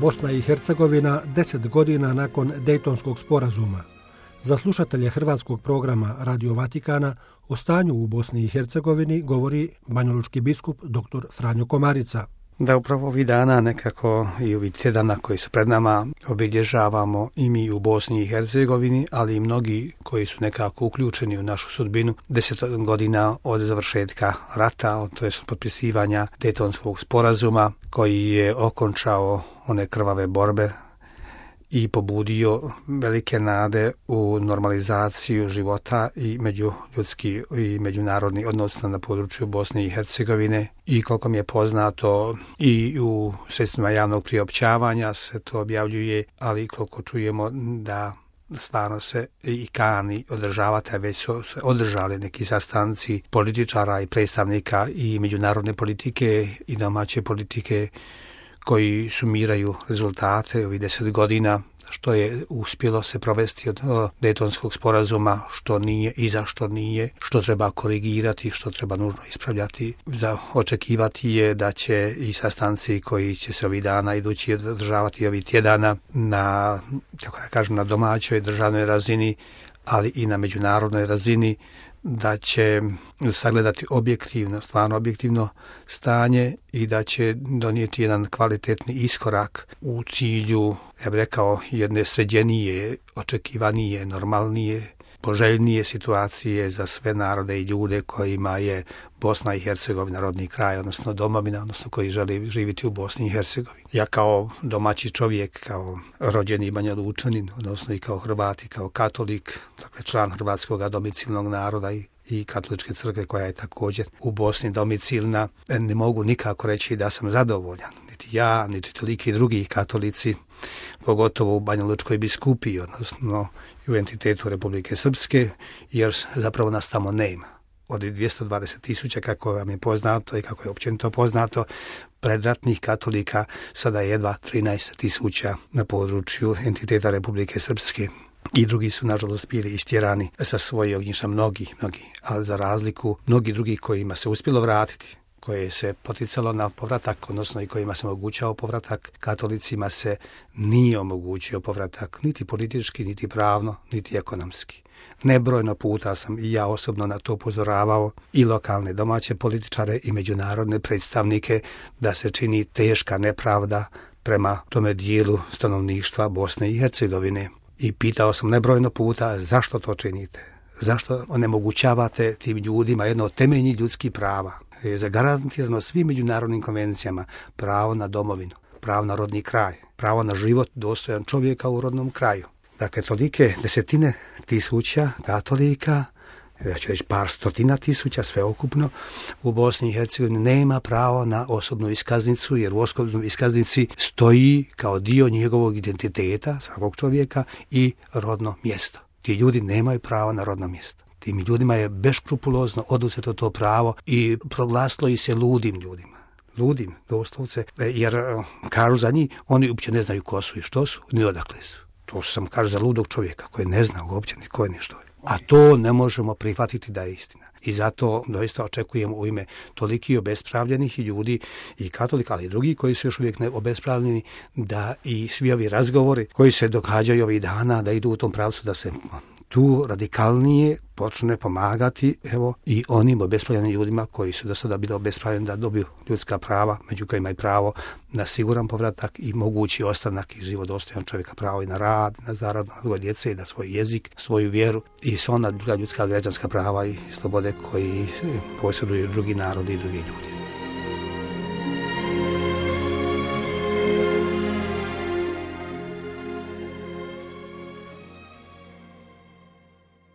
Bosna i Hercegovina 10 godina nakon Dejtonskog sporazuma. Za slušatelje hrvatskog programa Radio Vatikana o stanju u Bosni i Hercegovini govori banjalučki biskup dr. Franjo Komarica. Da upravo ovih dana nekako i ovih tjedana koji su pred nama obilježavamo i mi u Bosni i Hercegovini, ali i mnogi koji su nekako uključeni u našu sudbinu 10 godina od završetka rata, to je potpisivanja Dejtonskog sporazuma koji je okončao one krvave borbe i pobudio velike nade u normalizaciju života i međuljudski i međunarodni odnos na području Bosne i Hercegovine. I koliko mi je poznato i u sredstvima javnog priopćavanja se to objavljuje, ali koliko čujemo da stvarno se i kani održavati, a već su se održali neki sastanci političara i predstavnika i međunarodne politike i domaće politike koji sumiraju rezultate ovih 10 godina, što je uspjelo se provesti od Dejtonskog sporazuma, što nije i zašto nije, što treba korigirati, što treba nužno ispravljati. Za očekivati je da će i sastanci koji će se ovih dana idući održavati ovih tjedana na, kako da kažem, na domaćoj državnoj razini, ali i na međunarodnoj razini, da će sagledati objektivno, stvarno objektivno stanje i da će donijeti jedan kvalitetni iskorak u cilju, ja bih rekao, jedne sređenije, očekivanije, normalnije, poželjnije situacije za sve narode i ljude kojima je Bosna i Hercegovina rodni kraj, odnosno domovina, odnosno koji žele živjeti u Bosni i Hercegovini. Ja kao domaći čovjek, kao rođeni Banjalučanin, odnosno i kao Hrvat i kao katolik, dakle član hrvatskog domicilnog naroda i katoličke crkve koja je također u Bosni domicilna, ne mogu nikako reći da sam zadovoljan. Niti ja, niti toliki drugi katolici, pogotovo u Banjalučkoj biskupiji, odnosno u entitetu Republike Srpske, jer zapravo nas tamo nema. Od 220.000, kako vam je poznato i kako je općenito poznato, predratnih katolika sada je jedva 13.000 na području entiteta Republike Srpske. I drugi su, nažalost, bili istjerani sa svojih ognjišta, mnogi, ali za razliku mnogi drugi kojima se uspjelo vratiti, koje se poticalo na povratak, odnosno i kojima se omogućao povratak, katolicima se nije omogućio povratak niti politički, niti pravno, niti ekonomski. Nebrojno puta sam i ja osobno na to upozoravao i lokalne domaće političare i međunarodne predstavnike da se čini teška nepravda prema tome dijelu stanovništva Bosne i Hercegovine. I pitao sam nebrojno puta zašto to činite, zašto onemogućavate tim ljudima jedno od temeljnih ljudskih prava. Je zagarantirano svim međunarodnim konvencijama pravo na domovinu, pravo na rodni kraj, pravo na život dostojan čovjeka u rodnom kraju. Dakle, tolike desetine tisuća katolika, ja ću reći par stotina tisuća sveukupno, u Bosni i Hercegovini nema pravo na osobnu iskaznicu, jer u osobnoj iskaznici stoji kao dio njegovog identiteta svakog čovjeka i rodno mjesto. Ti ljudi nemaju pravo na rodno mjesto. Tim ljudima je beskrupulozno oduzeto to pravo i proglasilo ih se ludim ljudima. Ludim, doslovce, jer kažu za njih, oni uopće ne znaju ko su i što su, ni odakle su. To sam kažu za ludog čovjeka koji ne zna uopće ni ko je ni što je. A to ne možemo prihvatiti da je istina. I zato doista očekujemo u ime toliki obespravljenih ljudi i katolika, ali i drugi koji su još uvijek obespravljeni, da i svi ovi razgovori koji se događaju ovih dana da idu u tom pravcu da se tu radikalnije počne pomagati i onim obespravljenim ljudima koji su do sada bili obespravljeni da dobiju ljudska prava, među kojima i pravo na siguran povratak i mogući ostanak i život dostojan čovjeka, pravo i na rad, na zaradu, na odgoj djece, na svoj jezik, svoju vjeru i sva ona druga ljudska građanska prava i slobode koji posjeduju drugi narodi i drugi ljudi.